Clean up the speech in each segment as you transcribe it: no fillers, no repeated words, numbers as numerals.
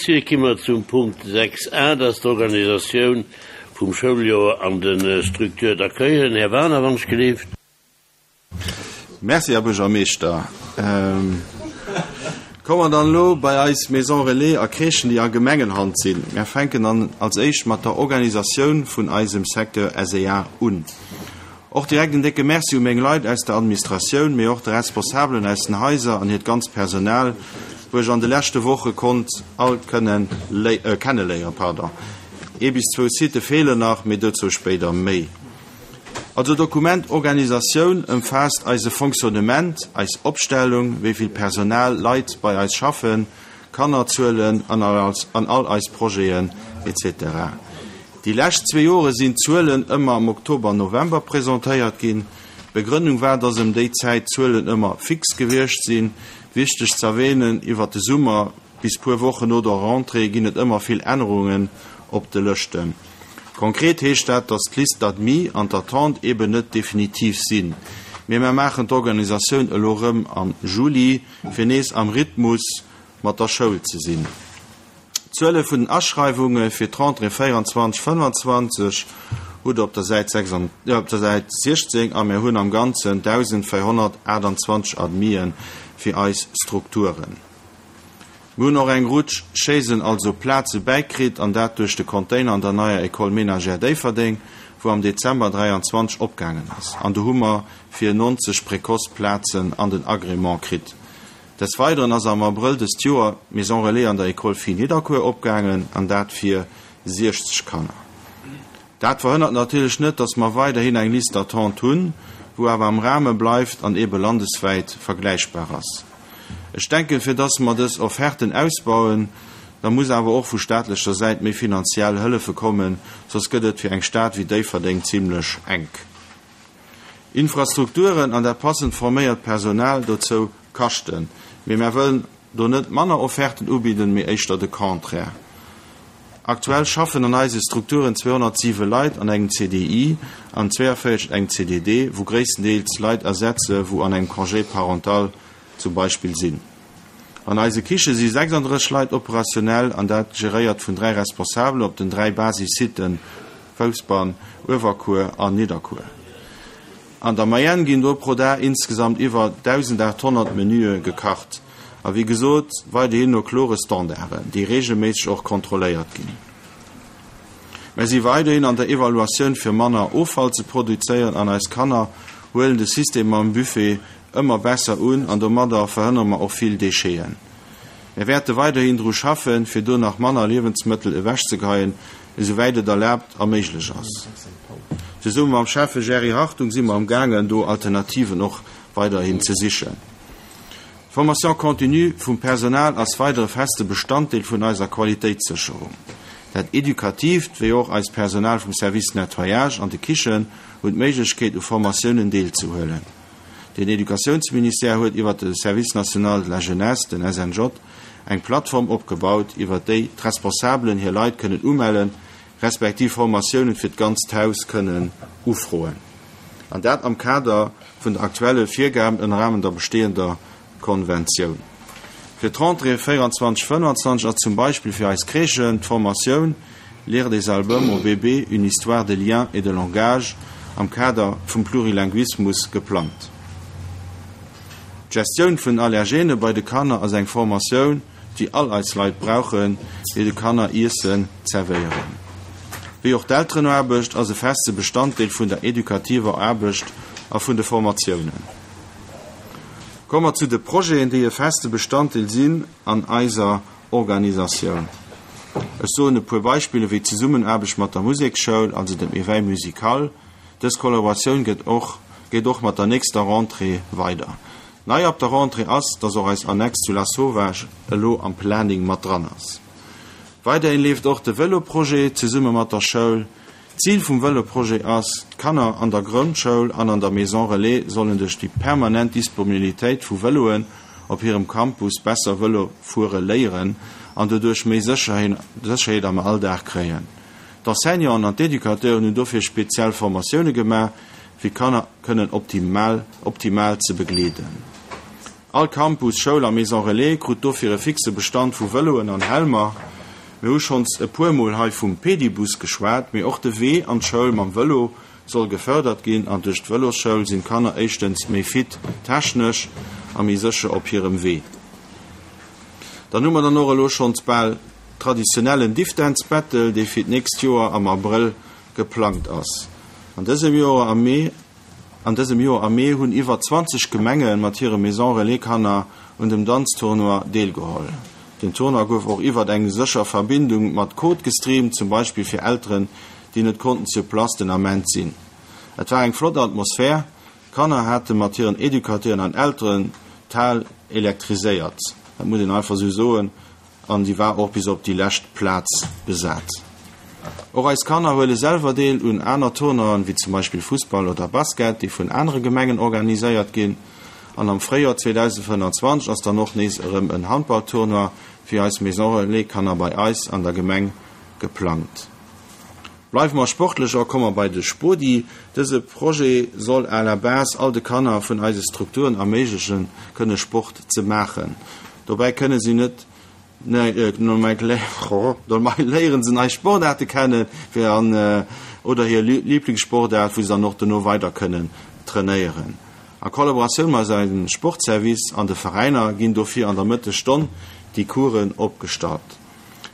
Merci. Da gi mer zum Punkt 6 a, dat ass d'Organisatioun vum Schouljoer an de Structures d'accueillen. Här Wagener, wann ech gelift. Merci, Här Buergermeeschter. Komme mer dann elo bei eis Maisons Relais a Crèchen, déi a Gemengenhand sinn. Mär fänken dann als éischt mat der Organisatioun vun eisem Secteur SEA un. Och direkt en décke Merci u meng Leit aus der Administratioun, mee och de Responsabelen aus den Haiser an hiert ganzt Personal, wou ech an de leschte Woche konnt all kënnen kenneléieren. Pardon, ee bis zwou Sitë feelen nach, mee dozou spéider méi. Also Dokument Organisatioun ëmfaasst eise Fonctionnement, eis Opstellung, wéi vill Personal, Leit bei eis schaffen, Kannerzuelen an an all eis Projeten, etc. Déi lescht zwee Jore sinn d'Zuelen ëmmer am Oktober, November presentéiert ginn. D'Begrënnung war, dass ëm déi Zäit d'Zuelen ëmmer fix gewiescht sinn. Wichteg z'erwähnen, iwwert de Summer bis puer Wochen no der Rentrée ginn et ëmmer vill Ännerungen op de Lëschten. Konkret heescht dat, dass d'Liste d'admis an d'attente eben net definitiv sinn. Mee mer maachen d'Organisatioun elo rëm am Juli, fir nees am Rhythmus mat der Schoul ze sinn. D'Zuele vun den Aschreiwunge fir d'Rentrée 24, 25 hutt Der op der Säit 16 a mir hunn am Ganzen 1.428 Admisen fir eis Strukturen. Mir hunn och eng Rutsch Chaisen, also Plaze bäikritt, an dat duerch de Container an der neier École ménagère Déifferdeng, wou am Dezember 23 opgaangen ass. An do hu mer fir 90 Précoce-Plazen an den Agrément kritt. Des Weideren ass am Abrëll dëst Joer d'Maison Relais an der École Filles Nidderkuer opgaangen, an dat fir 60 Kanner. Dat verhënnert natierlech net, dass mer weiderhin eng Liste d'attente hunn, wou awer am Rahme bleift an eebe landeswäit vergläichbar ass. Ech denken, fir dass mer dës Offerten ausbauen, da muss awer och vu staatlecher Säit méi finanziell Hëllefe kommen, soss gëtt et fir eng Stad wéi Déifferdeng zimlech enk. Infrastrukturen an dat passend forméiert Personal dozou kaschten. Mee mär wëllen do net manner Offerten ubidden, mee éischter de Contraire. Aktuell schaffen an eise Strukturen 207 Leit an engem CDI an 42 engem CDD, wou gréisstendeels Leit ersetze wou an engem Congé parental zum Beispill sinn. An eise Kiche si 36 Leit operationell an dat geréiert vun 3 Responsabelen op den 3 Basis-Siten Fousbann, Uewerkuer an Nidderkuer. An der Moyenne ginn do pro Dag insgesamt iwwer 1.800 Menüe gekacht. A wéi gesot, weiderhin no klore Standarden, déi reegelméisseg och kontrolléiert ginn. Mär si weiderhin an der Evaluatioun fir manner Offall ze produzéieren an eis Kanner huelen de System mam Buffet ëmmer besser un an domadder verhënnere mer och vill Décheten. Mär wäerte weiderhin dru schaffen, fir do nach manner Liewensmëttel ewechzegeheien, esouwäit et erlaabt a méiglech ass. Zesumme mam Schäffe Jerry Hartung si mer am gaangen, do Alternativen och weiderhin ze sichen. D'Formation continue vum Personal ass weider e feste Bestanddeel vun eiser Qualitéitssécherung. Dat Edukatiivt wéi och eist Personal vum Service Nettoyage an de Kichen hunn d'Méiglechkeet u Formatiounen deelzehuelen. Den Educatiounsministère huet iwwer de Service national de la jeunesse, den SNJ, eng Plattform opgebaut, iwwer déi d'Responsabelen hir Leit kënnen umellen, respektiv Formatiounen fir d'ganzt Haus kënnen ufroen. An dat am Kader vun der aktuelle Virgaben ënner Rahmen der bestehender Konventioun. Fir d'Rentrée 24, 25 ass zum Beispill fir eis Crèchen d'Formatioun Lire des albums aux bébés, une histoire de liens et de langage am Kader vum Plurilinguismus geplangt. D'Gestioun vun Allergene bei de Kanner ass eng Formatioun, déi all eis Leit brauchen, déi de Kanner Iessen zerwéieren. Wéi och d'Elterenaarbecht ass e feste Bestanddeel vun der edukativer Aarbecht a vun de Formatiounen. Komme mer zu de Projeten, déi e feste Bestanddeel sinn an eiser Organisatioun. Ech soen e puer Beispiller wéi d'Zesummenaarbecht mat der Museksschoul, also dem Éveil musical. Dës Kollaboratioun gëtt och geet och mat der nächster Rentrée weider. Nei ab der Rentrée ass, dass och eis Annex zu Lasauvage elo am Planing mat dran ass. Weiderhin leeft och de Vëlo-Projet zesumme mat der Schoul. D'Zil vum Vëlo-Projet ass, d'Kanner an der Grondschoul an an der Maison Relais sollen duerch déi permanent Disponibilitéit vu Vëloen op hirem Campus besser Vëlo fuere léieren an doduerch méi Sécherheet am Alldag kréien. D'Enseignanten an d'Educateuren hunn dofir speziell Formatioune gemaach, fir d'Kanner kënnen optimal optimal ze begleeden. All Campus, Schoul a Maison Relais krut dofir e fixe Bestand vu Vëloen an Helmer. Mir hu schonns e puer Mol hei vum Pedibus geschwat, mee och de Wee an d'Schoul mam Vëlo soll gefërdert ginn an duerch d'Vëlosschoul sinn d'Kanner éischtens méi fit technesch a méi sécher op hirem Wee. Dann hu mer dann och elo schonns bal traditionellen Diffdance Battle, dee fir d'nächst Joer am Abrëll geplangt ass. An dësem Joer am Mee An dësem Joer am Mee hunn iwwer 20 Gemenge mat hire Maison Relais Kanner un dem Danztournoi deelgeholl. Den Tournoi gouf och iwwert eng sécher Verbindung mat Code gestreamt, zum Beispill fir Elteren, déi net konnten sur place den Ament sinn. Et war eng flott Atmosphär, d'Kanner hate mat hiren Educateuren an Elteren d'Hal elektriséiert, dat muss een einfach esou soen. An déi war och bis op déi lescht Plaz besat. Och eis Kanner huele selwer deel un aner Tournoien, wéi zum Beispill Fussball oder Basket, déi vun anere Gemengen organiséiert ginn. An am Fréijoer 2025 ass dann och nees erëm en Handballtournoi fir eis Maison Relais Kanner bei eis an der Gemeng geplangt. Bleiwe mer sportlech a komme mer bei de Spodi. Dëse Projet soll à la base all de Kanner vun eise Strukturen erméiglechen, kënne Sport ze maachen. Dobäi kënne si net Dobäi léieren se nei Sportaarte kennen fir an oder hir Liblingssportaart, wou se dann och dono weider kënnen trainéieren. A Kollaboratioun mat eisem Sportservice an de Veräiner ginn dofir an der Mëttesstonn déi Coursen opgestallt.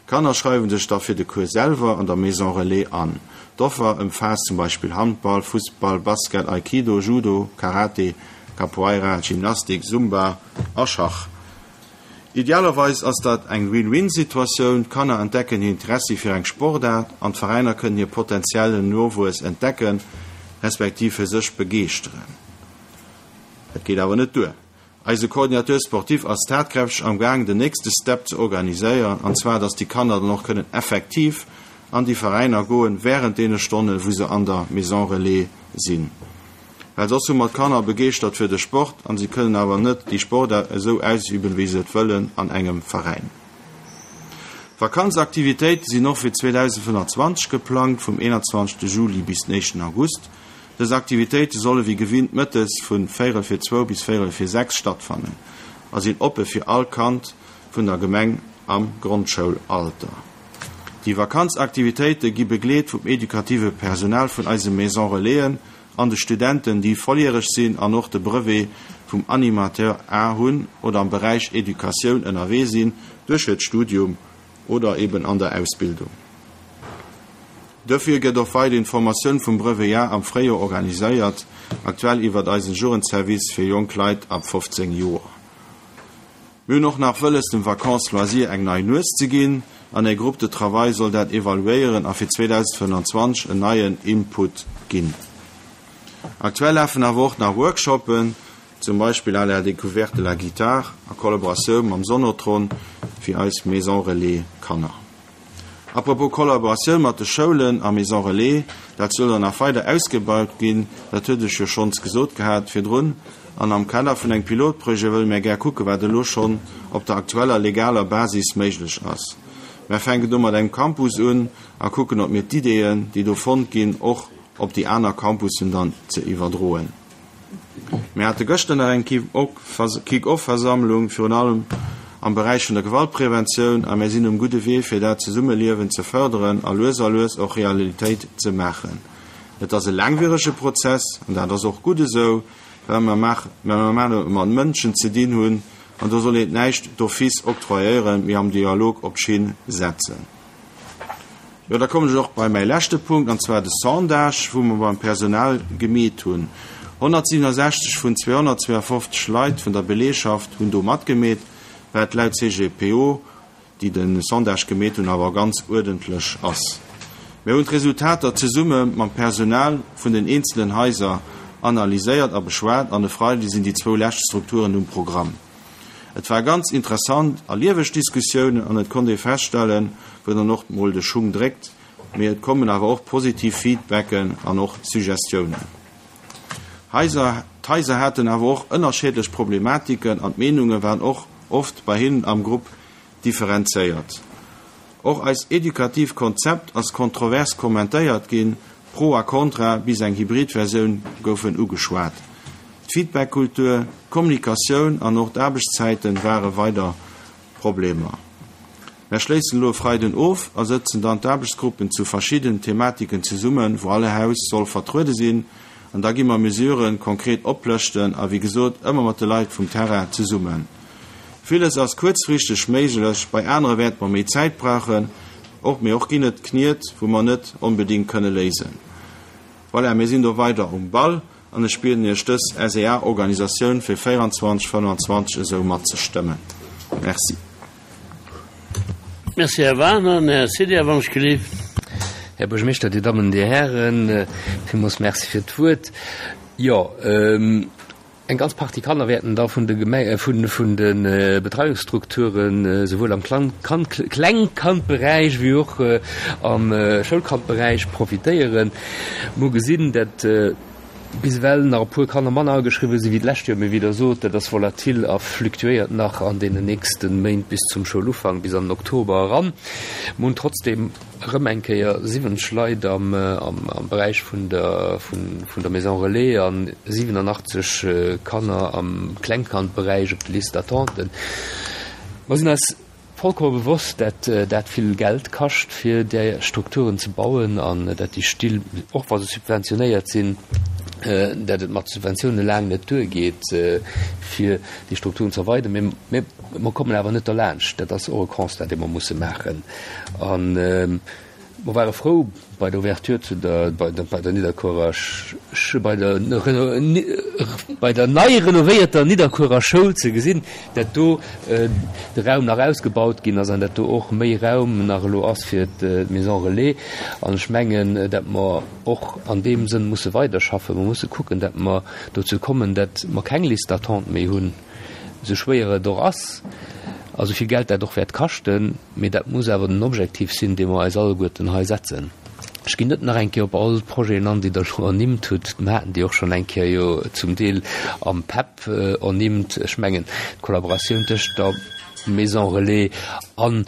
D'Kanner schreiwen sech da fir de Cours selwer an der Maison Relais an. D'Offer ëmfaasst zum Beispill Handball, Fussball, Basket, Aikido, Judo, Karate, Capoeira, Gymnastik, Zumba a Schach. Idealerweis ass dat eng Win-Win-Situatioun, D'Kanner entdecken hir Interessi fir eng Sportaart an d'Veräiner kënnen hir potentiellen Nowuess entdecken, respektiv fir sech begeeschteren. Dat geet awer net duer. Eise Coordinateur sportif ass tatkräfteg am Gaang den nächste Step ze organiséieren, an zwar dass déi Kanner dann och kënnen effektiv an déi Veräiner goen während deene Stonnen, wou se an der Maison Relais sinn. Well soss hu mer d'Kanner begeeschtert fir de Sport an si kënnen awer net déi Sportaart esou ausüben, wéi se et wëllen an engem Veräin. Vakanzaktivitéite sinn och fir 2025 geplangt, vum 21 Juli bis den éischten August. Dës Aktivitéite solle wéi gewinnt mëttes vun véierel fir zwou bis véierel fir 6 stattfannen a sinn oppe fir all Kand vun der Gemeng am Grondschoulalter. Déi Vakanzaktivitéite gi begleet vum edukative Personal vun eise Maison Relaisen an de Studenten, déi volljäreg sinn an och de Brevet vum Animateur A hunn oder am Beräich Educatioun ënnerwee sinn duerch hiert Studium oder eben an der Ausbildung. Dofir gëtt och weiderhin d'Formatioun vum Brevet A am Fréijoer organiséiert, aktuell iwwert eisen Jugendservice fir jonk Leit ab 15 Joer. Mir hunn och nach wëlles dem Vacances Loisirs eng nei Nues ze ginn an e Groupe de travail soll dat evaluéieren a fir 2025 en neien Input ginn. Aktuell lafen awer och nach Workshoppen, zum Beispill À la découverte de la guitare a Kollaboratioun mam Sonotron fir eis Maison Relais Kanner. A propos Kollaboratioun mat de Schoulen a Maison Relais, dat soll dann nach weider ausgebaut ginn, dat huet ech jo schonns gesot gehat virdrun. An am Kader vun engem Pilotprojet wëlle mär gär kucken, wat elo schonn op der aktueller legaler Basis méiglech ass. Mär fänken do mat engem Campus un a kucken, ob mir d'Ideeën, déi do fonnt ginn, och op déi aner Campussen dann ze iwwerdroen. Mir hate gëschter nach eng Kick-off-Versammlung, virun allem am Beräich vun der Gewaltpreventioun, a mir sinn um gudde Wee, fir dat Zesummeliewen ze fërderen a lues a lues och Realitéit ze maachen. Et ass e laangwierege Prozess, an dat ass och gutt esou, well mer et mat Mënschen ze dinn hunn, an do soll een näischt d'office octroyéieren, mee am Dialog op d'Schinn setzen. Jo, da kommen ech och bei mäi leschte Punkt, an zwar de Sondage, wou mer beim Personal gemeet hunn. 167 vun 252 Leit vun der Beleegschaft hunn do matgemeet, wat laut CGPO, déi de Sondage gemeet hunn, awer ganz uerdentlech ass. Mir hunn d'Resultater zesumme mam Personal vun den eenzelen Haiser analyséiert a beschwat an e Freide sinn déi zwou lescht Strukturen um Programm. Et war ganz interessant a lieweg Diskussiounen an et konnt ee feststellen, wou dann och mol de Schung dréckt, mee et kommen awer och positiv Feedbacken an och Suggestiounen. Haiser, D'Haiser haten awer och ënnerscheedlech Problematiken an d'Meenunge waren och oft bei hinnen am Grupp differenzéiert. Och eist edukativ Konzept ass kontrovers kommentéiert ginn, Pro a Contra bis eng Hybrid-Versioun goufen ugeschwat. D'Feedback-Kultur, d'Kommunikatioun an och d'Aarbechtszäiten ware weider Problemer. Mär schléissen elo e Freiden of a sëtzen dann d'Aarbechtsgruppen zu verschidden Thematiken zesummen, wou all Haus soll vertruede sinn. An da gi mer Mesuren konkret oplëschten a wéi gesot ëmmer mat de Leit vum Terrain zesummen. Villes ass kuerzfristeg méiglech, bei anere wäerte mer méi Zäit brauchen. Och mee och ginn et Kniet, wou mer net onbedéngt kënne léisen. Voilà, mir sinn do weider um Ball an ech bieden Iech dës SEA-Organisatioun fir 24, 25 esou matzestëmmen. Merci. Merci, Här Wagner. An Här Cedria, wann ech gelift. Här Buergermeeschter, Dir Dammen, Dir Hären, villmools Merci fir d'Wuert. Jo, eng ganz Partie Kanner wäerten da vun de Gemeng, vun, vun de Betreiungsstrukturen, esouwuel am Klang, Kand, Klengkandberäich wéi och am Schoulkandberäich profitéieren. Mer hu gesinn, dat bis ewell nach e puer Kanner manner ageschriwwen sinn wéi d'lescht Joer, mee wéi Der sot, dat ass volatil a fluktuéiert nach an deenen nächste Méint bis zum Schoulufank, bis an den Oktober eran. Mer hunn trotzdeem erëm eng Kéier 70 Leit am Beräich vun der vun der Maison Relais a 87 Kanner am Klengkandberäich op de Liste d'attente. Mer sinn eis Vollkomme bewosst, dat dat vill Geld kascht, fir där Strukturen ze bauen an dat déi Still, och wa se subventionéiert sinn, dat et mat Subventioune laang net duergeet, fir déi Strukturen ze erweideren. Mee mer kommen awer net derlaanscht. Dat ass och e Constat, dee mer musse maachen. An Mer ware frou bei der Ouverture zu der, bei der, bei der Nidderkuerer Sch-, bei der bei der nei renovéierter Nidderkuerer Schoul ze gesinn, dat do de Raum nach ausgebaut ginn ass an dat do och méi Raum nach elo ass fir d'Maison Relais. An ech mengen, dat mer och an deem Sënn musse weiderschaffen. Mer musse kucken, dat mer dozou kommen, dat mer keng Liste d'attente méi hunn, esou schwéier et och ass a sou vill Geld dat och wäert kaschten. Mee dat muss awer den Objektiv sinn, dee mer eis alleguerten hei setzen. Ech ginn net nach eng Kéier op all d'Projeten an, déi Der elo ernimmt hutt. Mer haten déi och schonn eng Kéier jo zum Deel am PEP ernimmt. Ech mengen, d'Kollaboratioun tëscht der Maison relais an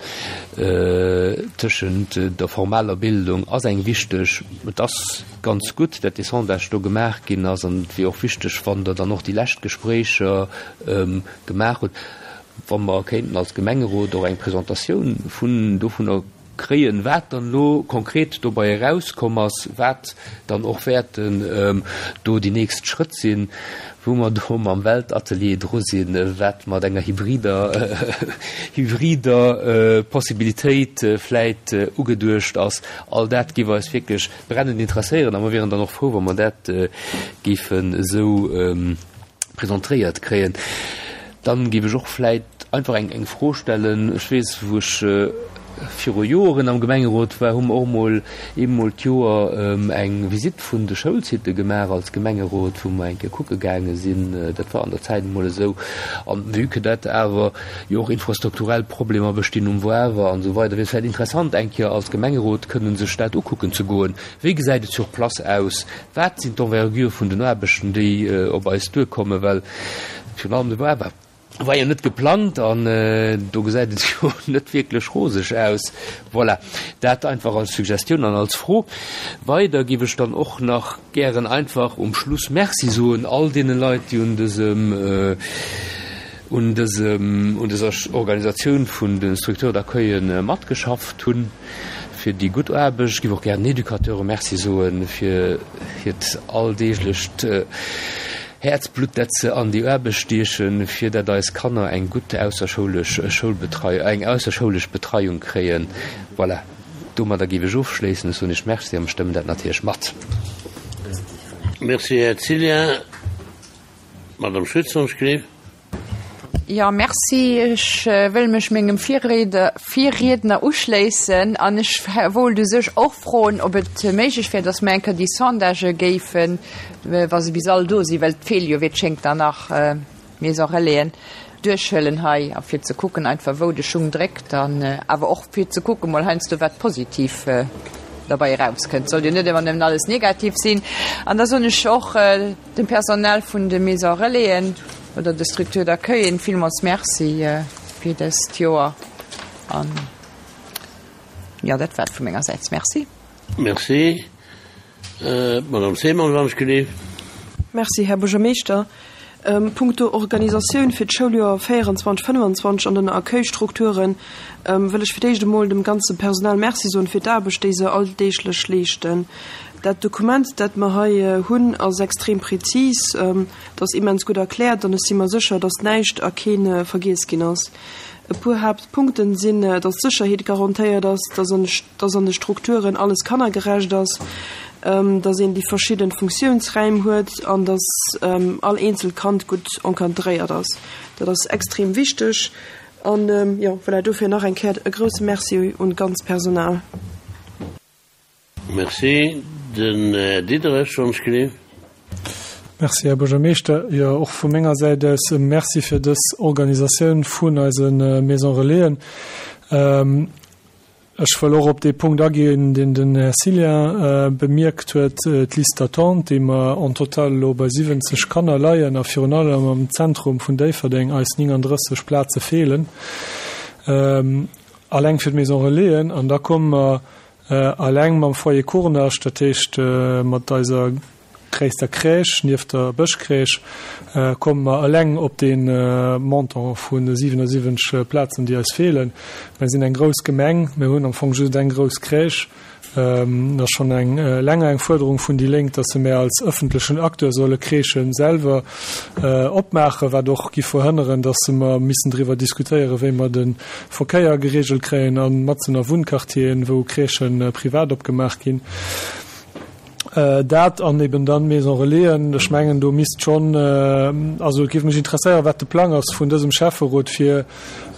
tëschent der formaler Bildung ass eng wichteg. Et ass ganz gutt, dat dee Sondage do gemaach ginn ass an et wier och wichteg, wann Der dann och déi lescht Gespréicher gemaach hutt, Wa mer kéinten als Gemengerot och eng Presentatioun vun dovunner kréien, wat dann elo konkret dobei erauskomm ass, wat dann och wäerten do déi nächst Schrëtt sinn, wou mer do mam Weltatelier dru sinn, wat mat enger hybrider hybrider Possibilitéit vläit ugeduecht ass. All dat géif eis wierklech brennend interesséieren a mer wieren dann och frou, wa mer dat géifen esou presentéiert kréien. Dann géif ech och vläit einfach eng eng Fro stellen. Ech weess, wou ech viru Joren am Gemengerot war, hu mer och emol eemol d'Joer eng Visitt vun de Schoulsitte gemaach als Gemengerot, wou mer eng Kéier kucke gaange sinn. Dat war an der Zäit emol esou. An vue que dat awer jo och infrastrukturell Problemer bestinn um Wawer an esou weider, wier et vläit interessant, eng Kéier als Gemengerot kënnen sech dat ukucken ze goen. Wéi gesäit et sur place aus? Wat sinn d'Envergure vun den Aarbechten, déi op eis duerkommen? Well virun allem de Wawa war jo net geplangt an do gesäit et jo net wierklech roseg aus. Voilà, dat einfach als Suggestioun an als Fro. Weider géif ech dann och nach gären einfach um Schluss Merci soen all deene Leit, déi un dësem, un dësem, un dëser Organisatioun vun de Structures d'accueillen matgeschafft hunn. Fir déi gutt Aarbecht. Ech géif och gär den Educateure Merci soe fir hiert alldeeglecht Häerzblutt, dat se an déi Aarbecht stiechen, fir dat eis Kanner eng gutt ausserschoulesch Schoulbetrei, eng ausserschoulesch Betreiung kréien. Voilà, domadder géif ech ofschléissen. Ech soen Iech Merci a mer stëmmen dat natierlech mat. Merci, Här Cillien. Madame Schütz, wann ech gleef. Jo, merci. Ech wëll mech mengem Virriedner uschléissen an ech wollt u sech och froen, ob et méiglech wär, dass mer eng Kéier déi Sondagë géifen, wa se bis all do sinn, well et feele jo wéi et schéngt der nach Maison Relaisen, duerchhuelen hei a fir ze kucken einfach, wou de Schung dréckt an awer och fir ze kucken mol heiansdo, wat positiv derbäi erauskënnt. Sollt jo net ëmmer nëmmen alles negativ sinn. An da soen ech och, Dem Personal vun de Maison Relaisen oder de Structures d'accueillen villmools Merci fir dëst Joer an jo, dat war et vu menger Säit. Merci. Merci. D'Madame Seemann, wann ech gelift. Merci, Här Buergermeeschter. Punkto Organisatioun fir d'Schouljoer 24, 25 an den Accueilstrukturen wëll ech fir d'éischt emol dem ganze Personal Merci soen fir d'Aarbecht, déi se alldeeglech leeschten. Dat Dokument, dat mer hei hunn, ass extrem prezis, et ass immens gutt erkläert an ech si mer sécher, dass näischt a kee vergiess ginn ass. E puer Haaptpunkten sinn, dass d'Sécherheet garantéiert ass, dass an dass an de Strukturen alles kannergerecht ass, dass een déi verschidden Funktiounsräim huet an dass all eenzelt Kand gutt encadréiert ass. Dat ass extrem wichteg an, jo, voilà, dofir nach eng Kéier e grousse Merci un d'ganz Personal. Merci. Den Här Diderich, wann ech gelift. Merci, Här Buergermeeschter. Jo, och vu menger Säit aus e Merci fir dës Organisatioun vun eise Maison Relaisen. Ech wëll och op dee Punkt aginn, deen den Här Cillien bemierkt huet, d'Liste d'attente, déi mer en total elo bei 70 Kanner leien a virun allem am Zentrum vun Déifferdeng eis 39 Plaze feelen, alleng fir d'Maison Relaisen. An da komme mer alleng mam Foyer Kurnascht, dat heescht mat eiser gréisster Crèche nieft der Bëschcrèche, komme mer eleng op dee Montant vu 77 Plazen, déi eis feelen. Mer sinn eng grouss Gemeng, mir hunn am Fong just eng grouss Crèche. Et ass schonn eng länger eng Fuerderung vun déi Lénk, dass se mer als ëffentlechen Acteur solle Crèchë selwer opmaachen, wat och giff verhënneren, dass mer missen driwwer diskutéieren, wéi mer de Verkéier geregelt kréien a matzen a Wunnquartieren, wou Crèchë privat opgemaach ginn. Dat an eben dann d'Maison Relaisen. Ech mengen, do misst schonn, also et géif mech interesséieren, wat de Plang ass vun dësem Schäfferot, fir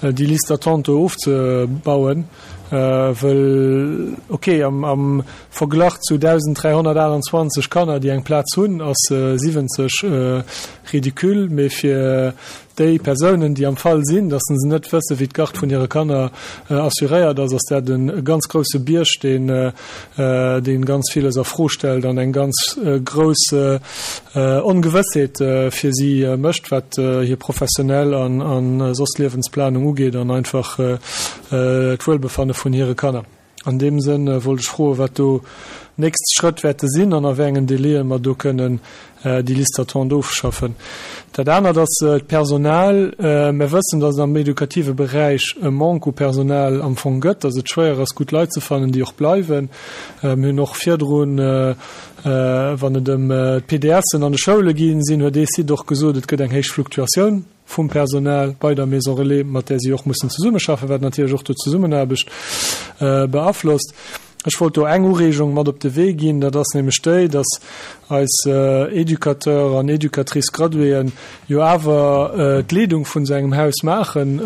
déi Liste d'attente do ofzebauen, wëll, okay, am Verglach zu 1.328 Kanner, déi eng Plaz hunn, ass 70 ridicule, mee fir Déi Persounen, déi am Fall sinn, dass se net wëssen, wéi d'Garde vun hire Kanner assuréiert ass, ass dat e ganz grousse Bierg, deen, dee ganz villes a Fro stellt an eng ganz grouss Ongewëssheet fir si mécht, wat hir professionell an soss Liewensplanung ugeet an einfach d'Wuelbefanne vun hire Kanner. An deem Sënn wollt ech froen, wat do nächst Schrëtt wäerte sinn an a wéi engen Délaië mer do kënnen déi Liste d'attente ofschaffen. Dat anert ass d'Personal. Mer wëssen, datt et am edukative Beräich e Manque u Personal am Fong gëtt, datt et schwéier ass, gutt Leit ze fannen, déi och bleiwen. Mir hunn och virdrun, wann et ëm d'PDSen an de Schoule ginn sinn, huet ee Site och gesot, et gëtt eng héich Fluktuatioun. vum Personal bei der Maison Relais, mat där si och mussen zesummeschaffen, wat natierlech och do d'Zesummenaarbecht beaflosst. Ech wollt do eng Ureegung mat op de Wee ginn, dat ass nämlech déi, dass eis Éducateurs an Éducatrices graduéen jo awer d'Leedung vun esou engem Haus maachen,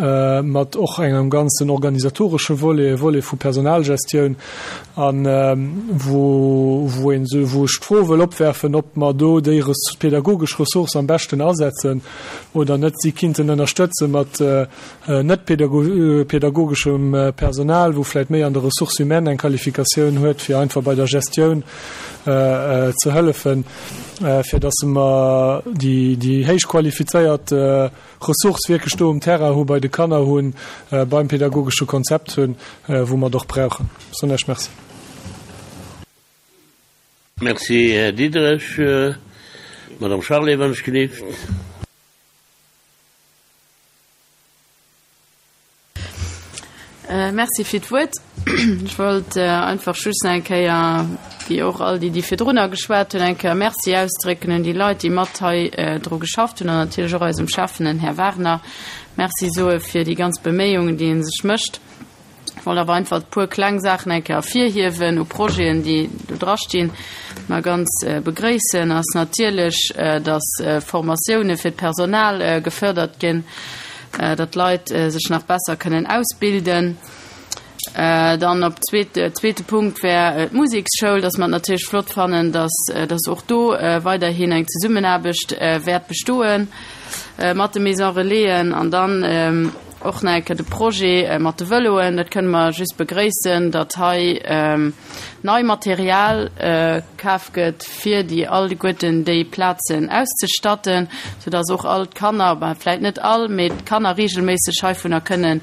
mat och engem ganzen organisatoresche Volet, e Volet vu Personalgestioun, a wou, wou een, wou ech d'Fro wëll opwerfen, ob mer do déi pädagogesch Ressource am beschten asetzen, oder net si kinnten ënnerstëtze mat net pädagogeschem Personal, wou vläicht méi an der Ressources humaines eng Qualifikatioun huet, fir einfach bei der Gestioun ze hëllefen, fir datt mer déi héich qualifizéiert Ressource wierklech do um Terrain hu bei de Kanner hunn, beim pädagogesche Konzept hunn, wou mer et och brauchen. Soen Iech Merci. Merci, Här Diderich. Madame Charlé, wann ech gelift. Merci fir d'Wuert. Ech wollt einfach just nach eng Kéier, wéi och all déi, déi virdrunner geschwat hunn, eng Kéier Merci ausdrécken un déi Leit, déi mat hei dru geschafft hunn an natierlech och eisem Schäffen, den Här Wagner, Merci soe fir déi ganz Beméiungen, déi e sech mécht. Ech wollt awer einfach e puer kleng Saachen eng Kéier ervirhiewen u Projeten, déi do drastinn, déi mer ganz begréissen, ass natierlech, dass Formatioune fir d'Personal gefördert ginn, datt d'Leit sech nach besser kënnen ausbilden. Dann op zweet, zweete Punkt wär d'Museksschoul, dass mer et natierlech flott fannen, dass, dass och do weiderhin eng Zesummenaarbecht wäert bestoe mat de Maison Relaisen. An dann Och nach eng Kéier de Projet mat de Vëloen, dat kënne mer just begréissen, datt hei nei Material kaf gëtt, fir déi alleguerten déi Plazen auszestatten, soudatt och all d'Kanner, ben vläicht net all, mee d'Kanner reegelméisseg heivunner kënne.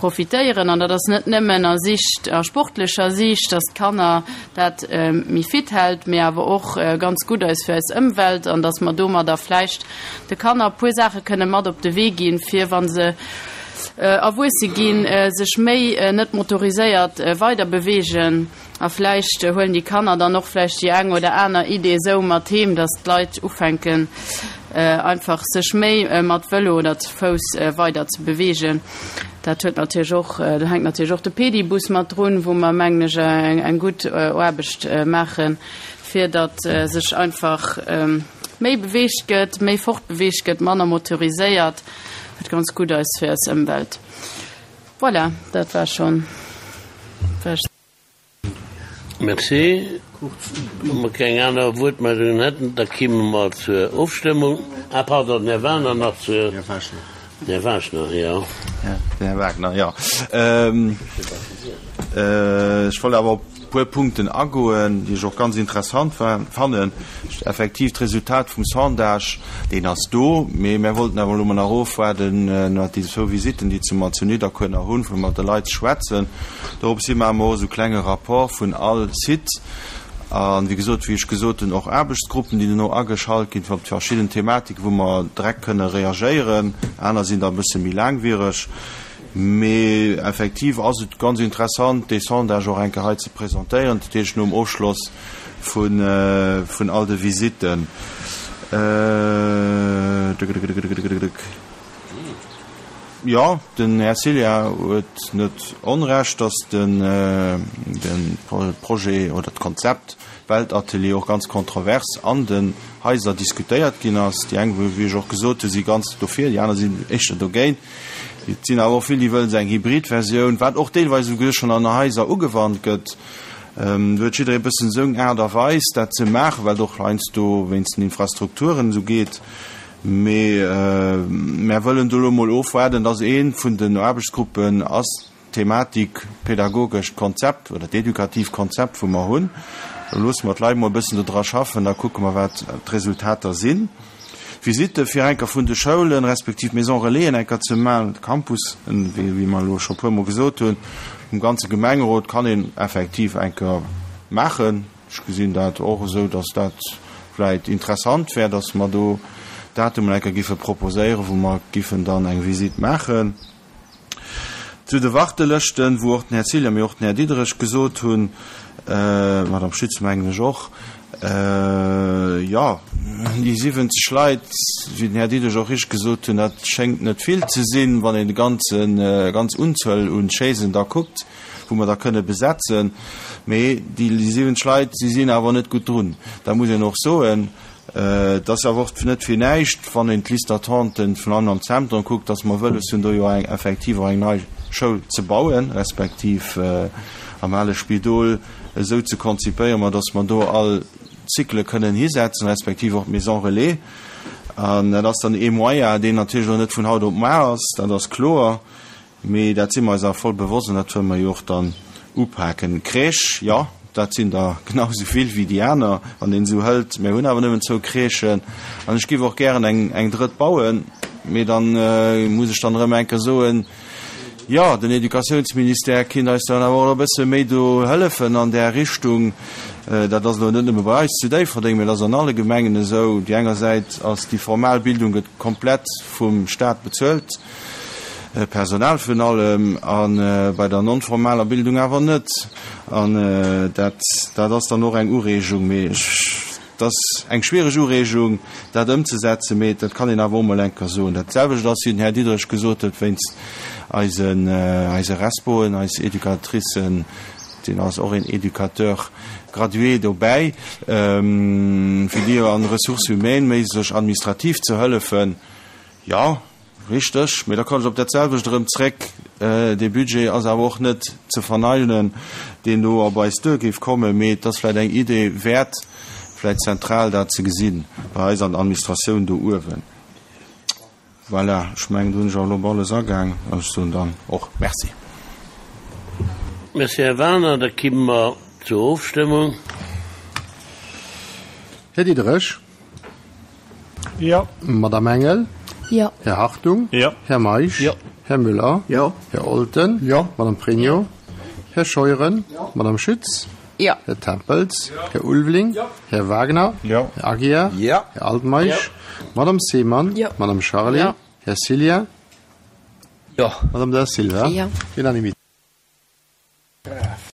profitéieren. An dat ass net nëmmen a Sicht, a sportlecher Siicht, dass d'Kanner dat méi fit hält, mee awer och ganz gutt eis fir eis Ëmwelt an dass mer domadder vläicht de Kanner e puer Saache kënne mat op de Wee ginn, fir wa se erwuesse ginn, sech méi net motoriséiert weider beweegen. A vläicht huelen déi Kanner dann och vläicht déi eng oder aner Idee esou mat heem, dass d'Leit ufänken einfach sech méi mat Vëlo oder ze Fouss weider ze beweegen. Dat huet natierlech och, do hänkt natierlech och de Pedibus mat drun, wou mer, mengen ech, eng gutt Aarbecht maachen, fir datt sech einfach méi beweegt gëtt, méi fortbeweegt gëtt, manner motoriséiert, wat ganz gutt ass fir eis Ëmwelt. Voilà, dat war schonn. Merci. Wa mer keng aner Wuertmeldungen hätten, da kimme mer zur Ofstëmmung. Ah, pardon, den Här Wagner nach zur. Här Wagner. Den Här Wagner, jo. Den Här Wagner, jo. Ech wollt awer op e puer Punkten agoen, déi ech och ganz interessant fannen. Effektiv, d'Resultat vum Sondage, deen ass do, mee mär wollten awer elo mol nach ofwaarden, wat déi zwou Visitten, déi ze mer zu Nidderkuer nach hunn, fir mat de Leit ze schwätzen. Dorops hi maache mer och esou klenge Rapport vun all Site an, wéi gesot, wéi ech gesot hunn, och Aarbechtsgruppen, déi dono ageschalt ginn, fir op déi verschidden Thematiken, wou mer direkt kënne reagéieren. Aner sinn da e bësse méi laangwiereg. Mee effektiv ass et ganz interessant, dee Sondage och eng Kéier hei ze presentéieren, dat heescht nom Ofschloss vun all de Visitten. Jo, den Här Cilla huet net Onrecht, datt de Projet oder d'Konzept Weltatelier och ganz kontrovers an den Haiser diskutéiert ginn ass. Déi eng, wéi ech och gesot hunn, si ganz dofir, déi aner sinn éischter dogéint. Et sinn awer och vill, déi wëllen esou eng Hybrid-Versioun, wat och deelweis esouguer schonn an Haiser ugewannt gëtt. Do huet jidderee e bëssen seng Aart a Weis, dat ze maachen, wat och heiansdo wéinst den Infrastrukturen esou geet. Mee mär wëllen do elo emol ofwaarden, dass ee vun den Aarbechtsgruppen ass d'Thematik pädagogescht Konzept oder d'edukativ Konzept, wou mer hunn. Da loosse mer d'Leit emol e bëssen dodra schaffen, da kucke mer, wat d'Resultater sinn. D'Visitte fir enker vun de Schoulen, respektiv Maison Relaisen enker ze maachen, de Campus, wéi mer elo scho puermol gesot hunn, vum ganze Gemengerot kann een effektiv enker maachen. Ech gesinn dat och esou, dass dat vläicht interessant wär, dass mer do Datumen eng Kéier giffe proposéieren, wou mer giffen dann eng Visite maachen. Zu de Wartelëschten, wou och den Här Cilla, mee och den Här Diderich gesot hunn, d'Madame Schütz mengen ech och, jo, déi 70 Leit, wéi den Här Diderich och richteg gesot hunn, dat schéngt net vill ze sinn, wann een de ganzen, ganz Unzuel un Chaisen da kuckt. wou mer da kënne besetzen, mee déi 70 Leit, si sinn awer net gutt drun. Dat muss een och soen. Et ass awer och net fir näischt, wann een d'Liste d'attenten vun allem am Zentrum kuckt, dass mer wëlles hunn, do jo eng effektiv och eng nei Schoul ze bauen, respektiv am ale Spidol esou ze konzipéieren, ma dass mer do all Cyclë kënnen hisetzen, respektiv och d'Maison relais. An dat ass dann ee Moyen, deen natierlech elo net vun haut op mar ass, dat ass kloer. Mee dat si mer eis awer voll bewosst an dat wëlle mer jo och dann upaken. Crèche, jo, dat sinn der genau esou vill wéi déi aner, wann een esou hëlt. Mir hunn awer nëmmen zwou Crèchen an ech géif och gären eng, eng drëtt bauen. Mee dann muss ech dann erëm eng Kéier soen, jo, den Educatiounsministère kinnt eis dann awer och e bësse méi do hëllefen an där Richtung. Dat ass elo net nëmme bei eis zu Déifferdeng, mee dat ass an alle Gemengen esou. Déi enger Säit ass déi formal Bildung gëtt komplett vum Stat bezuelt. Personal virun allem, a bei der non-formaler Bildung awer net. An dat, dat ass dann och eng Ureegung, mee ech, et ass eng schwiereg Ureegung, dat ëmzesetzen, mee dat kann een awer och mol eng Kéier soen. Dat selwecht ass, wéi den Här Diderich gesot huet, wéinst eisen, eise Respoen, eis Educatricen, deen ass och een Éducateur gradué dobäi, fir déi an Ressources humaines méi sech administrativ ze hëllefen. Jo, Richteg, mee da kommen ech op dat selwecht erëm zréck, Dee Budget ass awer och net ze verneinen, deen do op eis duer géif kommen, mee et ass vläicht eng Idee wäert, vläicht zentral dat ze gesinn bei eis an der Administratioun do uewen. Voilà, ech mengen, do hunn ech awer elo op alles agaang an ech soen dann och Merci. Merci, Här Werner. Da kimme mer zur Ofstëmmung. Här Diderich. Jo. Madame Engel. Jo. Här Hartung? Jo. Här Meisch? Jo. Här Müller? Jo. Här Olten? Jo. Madame Pregno? Här Scheuren? Jo. Madame Schütz? Jo. Här Tempels? Här Ulveling? Jo. Här Wagner? Jo. Här Aguiar? Jo. Här Altmeisch? Madame Seemann? Jo. Madame Charlé? Jo. Här Cillien? Jo. Madame Da Silva? Jo. Unanimité.